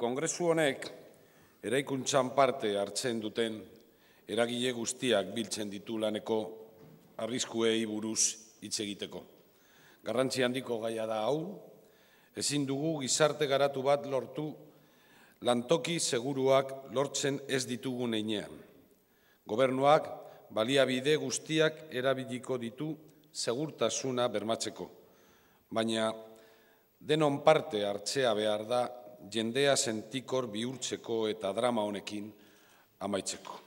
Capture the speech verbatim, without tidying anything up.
Kongresu honek eraikuntzan parte hartzen duten eragile guztiak biltzen ditu laneko arriskuei buruz hitz egiteko. Garrantzi handiko gaia da hau, ezin dugu gizarte garatu bat lortu lantoki seguruak lortzen ez ditugun heinean. Gobernuak baliabide guztiak erabiliko ditu segurtasuna bermatzeko, baina denon parte hartzea behar da jendea sentikor bihurtzeko eta drama honekin amaitzeko.